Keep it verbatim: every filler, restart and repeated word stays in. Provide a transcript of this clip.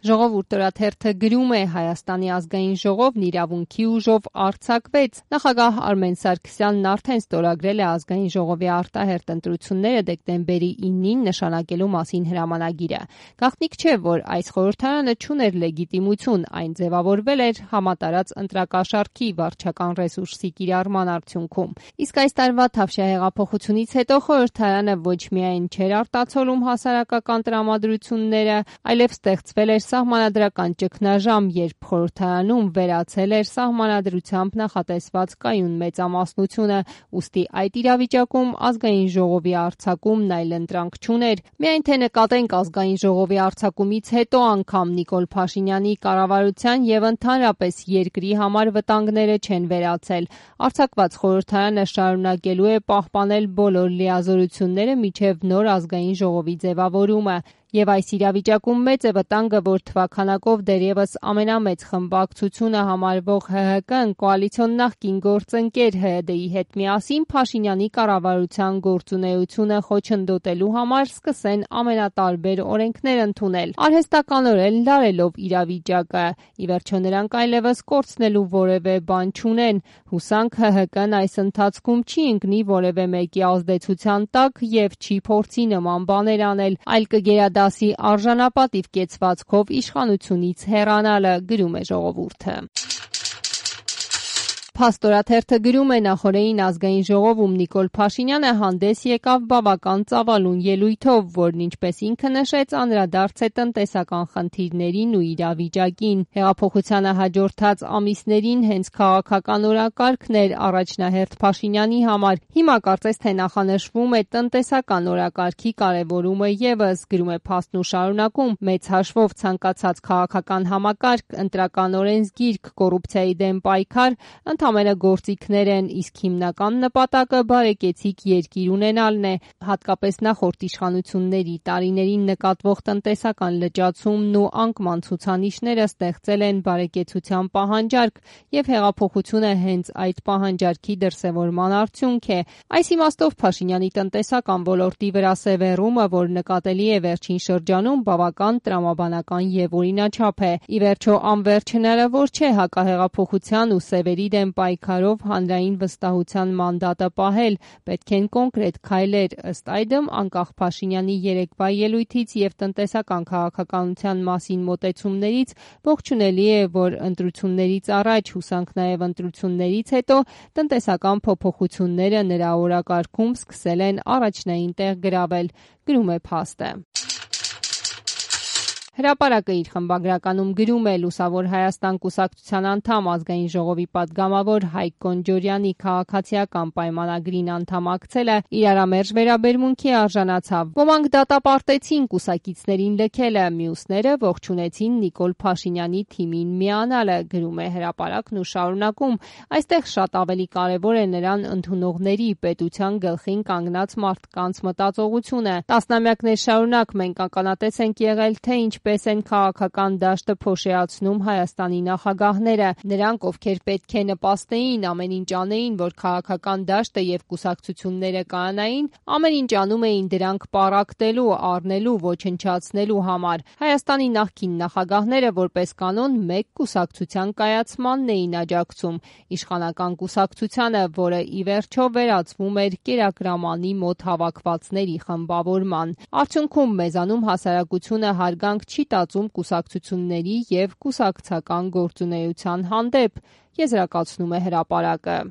Ժողովուրդ օրաթերթը գրում է Հայաստանի ազգային ժողովն իրավունքի ուժով արձակվեց։ Նախագահ Արմեն Սարգսյանն արդեն ստորագրել է ազգային ժողովի արտահերթ ընտրությունները դեկտեմբերի իննին նշանակելու մասին հրամանագիրը։ Գաղտնիք չէ, որ այս խորհրդարանը չուներ լեգիտիմություն, այն ձևավորվել էր համատարած ընտրակաշառքի վարչական ռեսուրսի կիրառման արդյունքում։ Իսկ այս տարվա Թավշյա հեղափոխությունից հետո խորհրդարանը ոչ միայն չէր արտացոլում հասարակական տրամադրությունները, այլև ստեղծվել էր սահմանադրական ճգնաժամ, երբ խորհրդարանում վերացել էր սահմանադրությամբ նախատեսված կայուն մեծամասնությունը, ուստի այդ իրավիճակում ազգային ժողովի արձակումն այլընտրանք չուներ։ Միայն թե նկատենք ազգային ժողովի արձակումից հետո անգամ Նիկոլ Փաշինյանի կառավարության եւ ընդհանրապես երկրի համար վտանգները չեն վերացել։ Արձակված խորհրդարանը շարունակելու է պահպանել բոլոր լիազորությունները մինչև նոր ազգային ժողովի ձևավորումը։ Եվ այս իրավիճակում մեծ է վտանգը, որ թվաքանակով դեռևս ամենամեծ խմբակցությունը համարվող ՀՀԿ-ն կոալիցիոն նախկին գործընկեր ՀՅԴ-ի հետ միասին Փաշինյանի կառավարության գործունեությունը խոչընդոտելու համար սկսեն ամենատարբեր օրենքներ ընդունել, արհեստականորեն լարելով իրավիճակը։ Ի վերջո նրանք այլևս կորցնելու որևէ բան չունեն։ Հուսանք ՀՀԿ-ն այս ընթացքում չի ընկնի որևէ մեկի ազդեցության տակ եւ չի փորձի նման բաներ անել, այլ կգերադասի արժանապատիվ կեցվածքով իշխանությունից հեռանալը, գրում է Ժողովուրդը։ Փաստ օրաթերթը գրում է նախօրեին ազգային ժողովում Նիկոլ Փաշինյանը հանդես եկավ բավական ծավալուն ելույթով, որն ինչպես ինքը նշեց, անդրադարձ է տնտեսական խնդիրներին ու իրավիճակին։ Հեղափոխությանը հաջորդած ամիսներին հենց քաղաքական օրակարգն էր առաջնահերթ Փաշինյանի համար։ Հիմա կարծես թե նախանշվում է տնտեսական օրակարգի կարևորումը ևս, գրում է Փաստն ու շարունակում. մեծ հաշվով ցանկացած քաղաքական համակարգ, ընտրական օրենսգիրք, կոռուպցիայի դեմ պայքար ընդամենը գործիքներ են, իսկ հիմնական նպատակը բարեկեցիկ երկիր ունենալն է։ Հատկապես նախորդ իշխանությունների տարիներին նկատվող տնտեսական լճացումն ու անկման ցուցանիշները ստեղծել են բարեկեցության պահանջարկ, եւ հեղափոխությունը հենց այդ պահանջարկի դրսևորման արդյունք է։ Այս իմաստով Փաշինյանի տնտեսական ոլորտի վրա սևեռումը, որ նկատելի է վերջին շրջանում, բավական տրամաբանական եւ օրինաչափ է։ Ի վերջո անվերջ հնարավոր չէ հակահեղափոխության ու սևերի դեմ պայքարով հանրային վստահության մանդատը պահել, պետք են կոնկրետ քայլեր։ Ըստ այդմ, անկախ Փաշինյանի երեկվա ելույթից եւ տնտեսական քաղաքականության մասին մոտեցումներից, ողջունելի է, որ ընտրություններից առաջ, հուսանք նաեւ ընտրություններից հետո, տնտեսական փոփոխությունները նրա օրակարգում սկսել են առաջնային տեղ գրավել, գրում է Փաստը։ Հրապարակը իր խմբագրականում գրում է. Լուսավոր Հայաստան կուսակցության անդամ, ազգային ժողովի պատգամավոր Հայկ Կոնջորյանի քաղաքացիական պայմանագրին անդամակցելը իրարամերժ վերաբերմունքի արժանացավ։ Ոմանք դատապարտեցին կուսակիցներին լքելը, մյուսները ողջունեցին Նիկոլ Փաշինյանի թիմին միանալը, գրում է Հրապարակն ու շարունակում. այստեղ շատ ավելի կարևոր է նրան ընդունողների, պետության գլխին կանգնած մարդկանց մտածողությունը։ Տասնամյակներ շարունակ մենք ականատես ենք եղել, թե ինչպես են քաղաքական դաշտը փոշիացնում Հայաստանի նախագահները, նրանք, ովքեր պետք է նպաստեին, ամեն ինչ անեին, որ քաղաքական դաշտը եւ կուսակցությունները կանային, ամեն ինչ անում էին դրանք պառակտելու, առնելու, ոչնչացնելու համար։ Հայաստանի նախկին նախագահները որպես կանոն մեկ կուսակցության կայացմանն էին աջակցում, իշխանական կուսակցությանը, որը ի վերջո վերածվում էր կերակրամանի մոտ հավաքվածների խմբավորման։ Արդյունքում մեզանում հասարակությունը հարգանք չի տածում կուսակցությունների եւ կուսակցական գործունեության հանդեպ, եզրակացնում է Հրապարակը։